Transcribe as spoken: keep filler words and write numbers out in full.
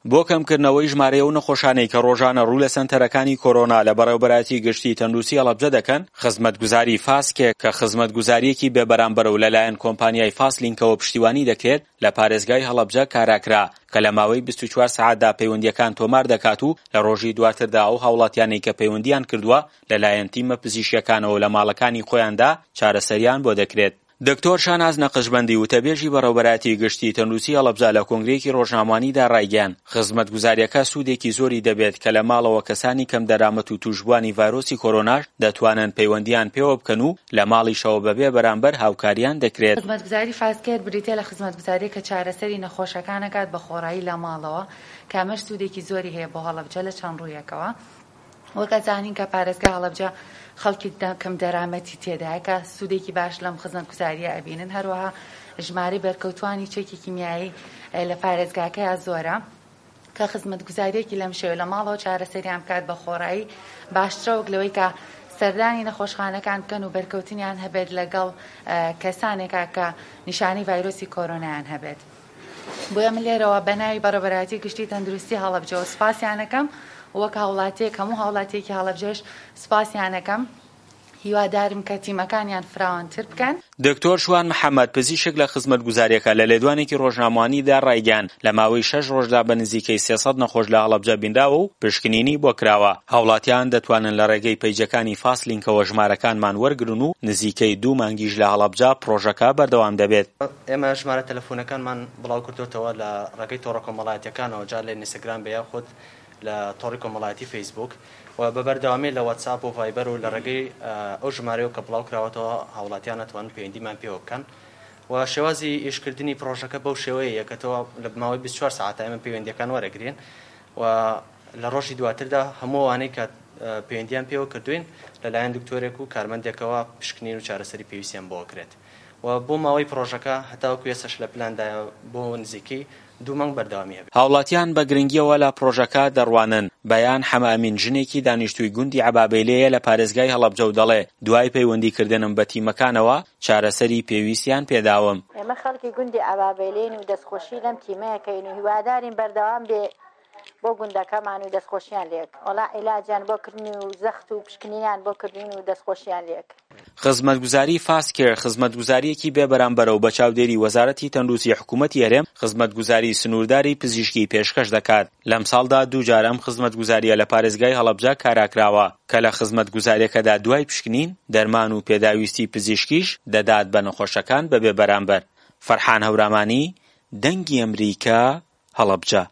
بۆ کەمکردنەوەی ژمارەی ئەو نەخۆشانەی کە ڕۆژانە ڕوو لە سەنتەرەکانی کۆرۆنا لە بەڕێوەبەرایەتی گشتی تەندروستی هەڵەبجە دەکەن، خزمەتگوزاری فاست کێر کە خزمەتگوزارییەکی بێبەرامبەرە و لەلایەن کۆمپانیای فاست لینکەوە پشتیوانی دەکرێت لە پارێزگای هەڵەبجە کاراکرا کە لە ماوەی بیست و چوار سەعاتدا پەیوەندییەکان تۆمار دەکات و لە ڕۆژی دواتردا ئەو هاوڵاتیانەی کە پەیوەندییان کردووە لەلایەن تیمە پزیشکییەکانەوە لە ماڵەکانی خۆیاندا چارەسەریان بۆ دەکرێت. دکتۆر شاناز نەقشبەندی وتەبێژی بەڕێوەبەرایەتی گشتی تەندروستی هەڵەبجە لە کۆنگرەیەکی ڕۆژنامەوانیدا ڕایگەیاند، خزمەتگوزارییەکە سوودێکی زۆری دەبێت کە لە ماڵەوە کەسانی کەمدەرامەت و تووشبووانی ڤایرۆسی کۆرۆناش دەتوانن پەیوەندییان پێوە بکەن و لە ماڵیشەوە بەبێ بەرامبەر هاوکاریان دەکرێت. خزمەتگوزاری فاست کێر بریتیە لە خزمەتگوزارییەک کە چارەسەری نەخۆشەکان ئەکات بە خۆڕایی لە ماڵەوە کە ئەمەش سوودێکی زۆری هەیە بۆ هەڵەبجە لە چەند ڕوویەکەوە. وەک ئەزانین کە پارێزگای هەڵەبجە خەڵکی کەم دەرامەتی تێدایە کە سوودێکی باش لەم خزمەتگوزاریە ئەبینن، هەروەها ژمارەی بەرکەوتوانی چەکی کیمیایی لە پارێزگاکەیا زۆرە کە خزمەتگوزاریەکی لەم شێوە لە ماڵەوە چارەسەریان بکات بە خۆڕایی باشترە وەک لەوەی کە سەردانی نەخۆشخانەکان بکەن و بەرکەوتنیان هەبێت لەگەڵ کەسانێکا کە نیشانەی ڤایرۆسی کۆرۆنایان هەبێت. بۆیە من لێرەوە بە ناوی بەڕێوەبەرایەتی گشتی تەندروستی هەڵەبجەوە سوپاسیانەکەم، وەک هاوڵاتیەک هەموو هاوڵاتیەکی هەڵەبجەش سوپاسیانەکەم، هیوادارم کە تیمەکانیان فراوانتر بکەن. دکتۆر شوان محەمەد، پزیشک لە خزمەتگوزارییەکە لە لێدوانێکی ڕۆژنامەوانیدا ڕایگەیاند، لە ماوەی شەش ڕۆژدا بە نزیکەی سێ سەد نەخۆش لە هەڵەبجە بینراوە و پشکنینی بۆ کراوە، هاوڵاتیان دەتوانن لە ڕێگەی پەیجەکانی فاست لینکەوە ژمارەکانمان وەرگرن و نزیکەی دوو مانگیش لە هەڵەبجە پڕۆژەکە بەردەوام دەبێت. ئێمە ژمارە تەلەفونەکانمان بڵاوکردۆتەوە لە ڕێگەی تۆڕە کۆمەڵایەتیەکانەوە جا لە ئینستاگرام بێ یاخود لە تۆڕی کۆمەڵایەتی فەیسبووک و بە بەردەوامی لە واتساپ و ڤایبەر و لە ڕێگەی ئەو ژمارەیەوە کە بڵاوکراوەتەوە هاوڵاتیان ئەتوانن پەیوەندیمان پێوە بکەن و شێوازی ئیشکردنی پڕۆژەکە بەو شێوەیە کە تۆ لە ماوەی بیست و چوار سەعاتە ئێمە پەیوەندیەکان وەرەگرین و لە ڕۆژی دواتردا هەموو ئەوانەی کە پەیوەندیان پێوە کردوین لەلایەن دکتۆرێک و کارمەندێکەوە پشکنین و چارەسەری پێویستیان بۆ ئەکرێت و بۆ ماوەی پڕۆژەکە هەتاوەکو ئێستاش لە پلاندایە بۆ نزیکەی دوو مانگ بەردەوامی هەبێت. هاوڵاتیان بە گرنگییەوە لە پڕۆژەکە دەڕوانن، بەیان حەمەئەمین ژنێکی دانیشتووی گوندی عەبابەیلێیە لە پارێزگای هەڵەبجە و دەڵێ، دوای پەیوەندیکردنم بە تیمەکانەوە چارەسەری پێویستیان پێداوم. ئێمە خەڵکی گوندی عەبابەیلێین و دەستخۆشی لەم تیمە ئەکەین و هیوادارین بەردەوام بێ بۆ گوندەکەمان و دەستخۆشیان لێک وەڵا عیلاجیان بۆ کردن و زەخت و پشکنینیان بۆ کردین و دەستخۆشیان لێک. خزمەتگوزاری فاست کێر خزمەتگوزارییەکی بێ بەرامبەرە و بە چاودێری وەزارەتی تەندروستی حکوومەتی هەرێم خزمەتگوزاری سنوورداری پزیشکی پێشکەش دەکات. لەمساڵدا دوو جار ئەم خزمەتگوزارییە لە پارێزگای هەڵەبجە کاراکراوە کە لە خزمەتگوزارییەکەدا دوای پشکنین، دەرمان و پێداویستی پزیشکیش دەدات بە نەخۆشەکان بەبێ بەرامبەر. فەرحان هەورامانی، دەنگی ئەمریکا، هەڵەبجە.